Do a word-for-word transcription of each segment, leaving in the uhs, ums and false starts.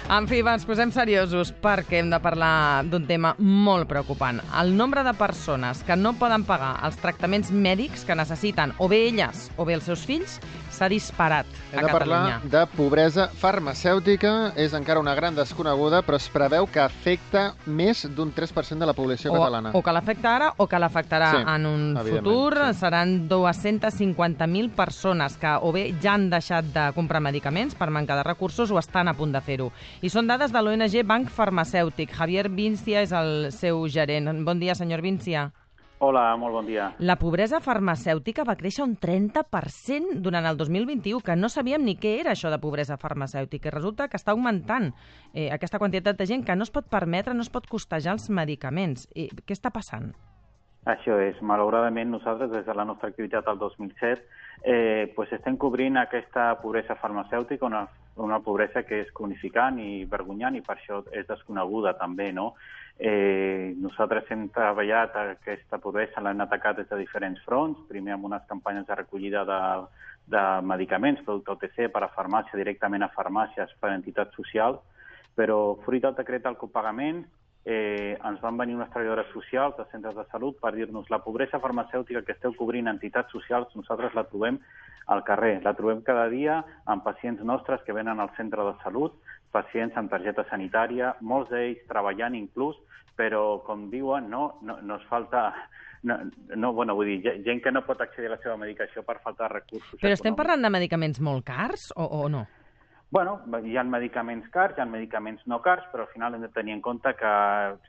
En fi, va, ens posem seriosos perquè hem de parlar d'un tema molt preocupant. El nombre de persones que no poden pagar els tractaments mèdics que necessiten o bé elles o bé els seus fills s'ha disparat a Catalunya. Hem de parlar de pobresa farmacèutica. És encara una gran desconeguda, però es preveu que afecta més d'un tres per cent de la població o, catalana. O que l'afecta ara o que l'afectarà sí, en un futur. Sí. Seran dues-centes cinquanta mil persones que o bé ja han deixat de comprar medicaments per manca de recursos o estan a punt de fer-ho. I són dades de l'O N G Banc Farmacèutic. Javier Vincia és el seu gerent. Bon dia, senyor Vincia. Hola, molt bon dia. La pobresa farmacèutica va créixer un trenta per cent durant el dos mil vint-i-u, que no sabíem ni què era això de pobresa farmacèutica. I resulta que està augmentant eh, aquesta quantitat de gent que no es pot permetre, no es pot costejar els medicaments. I què està passant? Això és. Malauradament, nosaltres, des de la nostra activitat al dos mil set, eh, pues estem cobrint aquesta pobresa farmacèutica, una, una pobresa que és cronificant i vergonyant i per això és desconeguda també, no? Eh, nosaltres hem treballat aquesta pobresa, l'hem atacat des de diferents fronts, primer amb unes campanyes de recollida de, de medicaments, producte O T C, per a farmàcia, directament a farmàcies, per a entitats socials, però fruit del decret del copagament, Eh, ens van venir unes treballadores socials de centres de salut per dir-nos la pobresa farmacèutica que esteu cobrint entitats socials, nosaltres la trobem al carrer, la trobem cada dia amb pacients nostres que venen al centre de salut, pacients amb targeta sanitària, molts d'ells treballant inclús, però com diuen, no, no, no es falta... No, no, bueno, vull dir, gent que no pot accedir a la seva medicació per falta de recursos. Però estem parlant de medicaments molt cars o, o no? Bueno, hi ha medicaments cars, hi ha medicaments no cars, però al final hem de tenir en compte que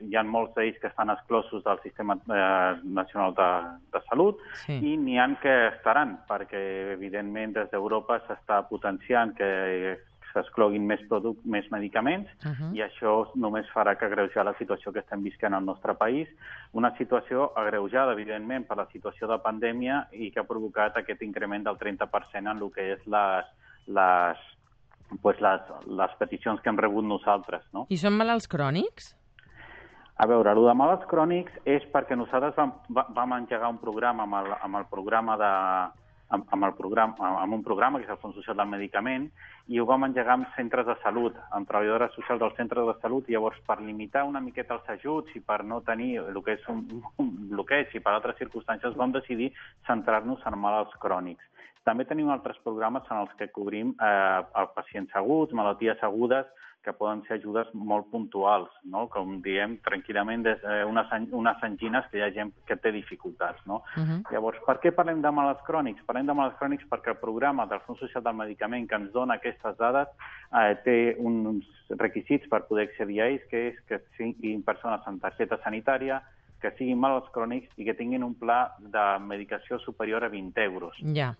hi ha molts d'ells que estan exclosos del Sistema eh, Nacional de, de Salut sí. I n'hi ha que estaran, perquè evidentment des d'Europa s'està potenciant que s'excloguin més, produc més medicaments uh -huh. I això només farà que agreujar la situació que estem visquent al nostre país, una situació agreujada, evidentment, per la situació de pandèmia i que ha provocat aquest increment del trenta per cent en el que és les... les pues les, les peticions que hem rebut nosaltres. No? I són malalts crònics? A veure, el de malalts crònics és perquè nosaltres vam, vam engegar un programa amb el, amb el programa de... Amb, amb, el programa, amb un programa, que és el Fons Social del Medicament, i ho vam engegar amb centres de salut, amb treballadores socials dels centres de salut, i llavors per limitar una miqueta els ajuts i per no tenir el que és un, un bloqueig i per altres circumstàncies vam decidir centrar-nos en malalts crònics. També tenim altres programes en els que cobrim eh, pacients aguts, malalties agudes, que poden ser ajudes molt puntuals, no? Com diem tranquil·lament, des, eh, unes, unes angines que hi ha gent que té dificultats. No? Uh -huh. Llavors, per què parlem de malalts crònics? Parlem de malalts crònics perquè el programa del Fons Social del Medicament que ens dona aquestes dades eh, té uns requisits per poder accedir a ells, que és que siguin persones amb targeta sanitària, que siguin malalts crònics i que tinguin un pla de medicació superior a vint euros. Ja. Yeah.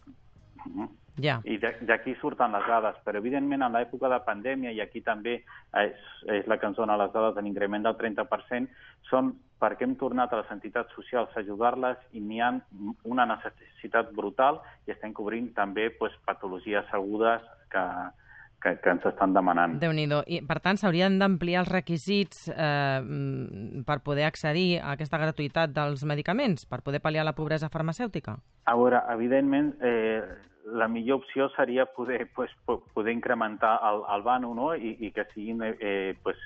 Uh-huh. Yeah. I d'aquí surten les dades, però evidentment en l'època de pandèmia, i aquí també és, és la que ens dona les dades de l'increment del trenta per cent, són perquè hem tornat a les entitats socials a ajudar-les i n'hi ha una necessitat brutal i estem cobrint també pues, patologies agudes que, que, que ens estan demanant. Déu-n'hi-do. I, per tant, s'haurien d'ampliar els requisits eh, per poder accedir a aquesta gratuïtat dels medicaments, per poder pal·liar la pobresa farmacèutica? A veure, evidentment, eh, la millor opció seria poder, pues, poder incrementar el, el vano, no? I, i que siguin eh, pues,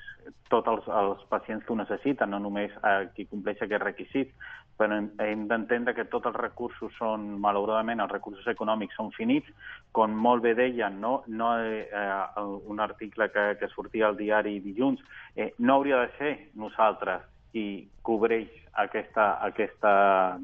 tots els, els pacients que ho necessiten, no només eh, qui compleix aquests requisits, però hem d'entendre que tots els recursos són, malauradament, els recursos econòmics són finits, com molt bé deien, no, no eh, un article que, que sortia al diari dilluns, eh, no hauria de ser nosaltres qui cobreix aquesta, aquesta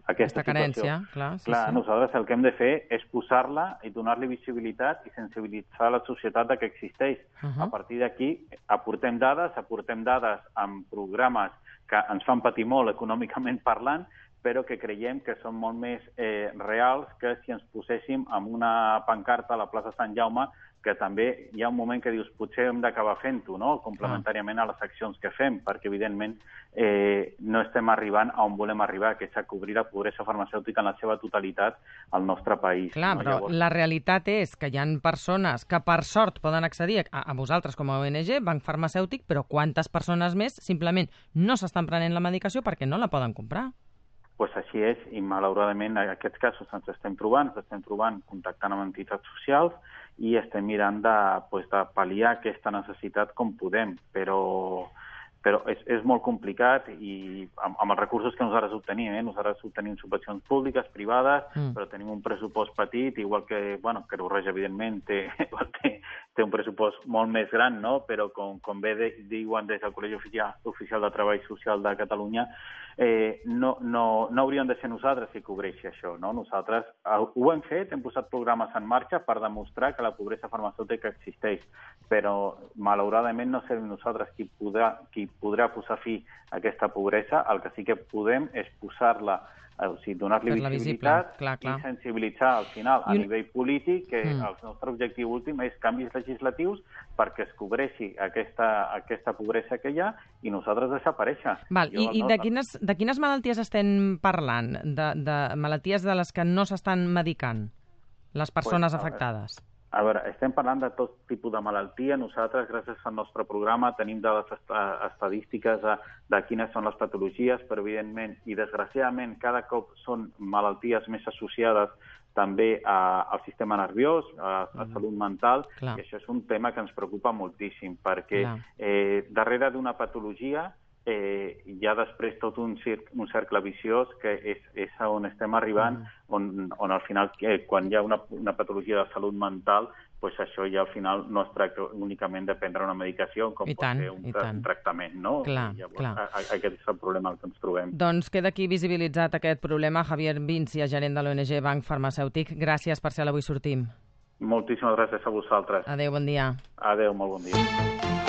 aquesta, aquesta carència, clar. Sí, clar, sí. Nosaltres el que hem de fer és posar-la i donar-li visibilitat i sensibilitzar la societat de que existeix. Uh -huh. A partir d'aquí aportem dades, aportem dades amb programes que ens fan patir molt econòmicament parlant, però que creiem que són molt més eh, reals que si ens poséssim amb una pancarta a la plaça Sant Jaume, que també hi ha un moment que dius potser hem d'acabar fent-ho, no? Complementàriament a les accions que fem, perquè evidentment eh, no estem arribant a on volem arribar, que és a cobrir la pobresa farmacèutica en la seva totalitat al nostre país. Clar, no? però Llavors... la realitat és que hi ha persones que per sort poden accedir a, a vosaltres com a O N G, Banc Farmacèutic, però quantes persones més simplement no s'estan prenent la medicació perquè no la poden comprar? pues així és, i malauradament en aquests casos ens estem trobant, ens estem trobant contactant amb entitats socials i estem mirant de, pues, de pal·liar aquesta necessitat com podem, però... però és, és molt complicat i amb, amb els recursos que nosaltres obtenim, eh? Nosaltres obtenim subvencions públiques, privades, mm. però tenim un pressupost petit, igual que, bueno, que Roja, evidentment, té, té, té un pressupost molt més gran, no? Però com, com bé de, diuen des del Col·legi Oficial, Oficial de Treball Social de Catalunya, eh, no, no, no hauríem de ser nosaltres qui cobreixi això, no? Nosaltres ho hem fet, hem posat programes en marxa per demostrar que la pobresa farmacèutica existeix, però malauradament no serem nosaltres qui podrà, qui podrà posar fi a aquesta pobresa. El que sí que podem és posar-la, o sigui, donar-li visibilitat clar, clar. i sensibilitzar al final a I... nivell polític que mm. el nostre objectiu últim és canvis legislatius perquè es cobreixi aquesta, aquesta pobresa que hi ha i nosaltres desaparèixer. Val, jo, I, i no... de, quines, de quines malalties estem parlant? De, de malalties de les que no s'estan medicant les persones pues, afectades? A veure, estem parlant de tot tipus de malaltia. Nosaltres, gràcies al nostre programa, tenim dades estadístiques de, de quines són les patologies, però evidentment i desgraciadament cada cop són malalties més associades també a, al sistema nerviós, a, a salut mental, Clar. I això és un tema que ens preocupa moltíssim, perquè eh, darrere d'una patologia eh, hi ha després tot un, cir un cercle viciós que és, és on estem arribant, mm. on, on al final, eh, quan hi ha una, una patologia de salut mental, pues això ja al final no es tracta únicament de prendre una medicació, com I pot tant, ser un, un tractament, no? Clar, Llavors, clar. A, a, aquest és el problema que ens trobem. Doncs queda aquí visibilitzat aquest problema. Javier Vincia, gerent de l'O N G Banc Farmacèutic, gràcies per ser a l'Avui Sortim. Moltíssimes gràcies a vosaltres. Adéu, bon dia. Adéu, molt bon dia.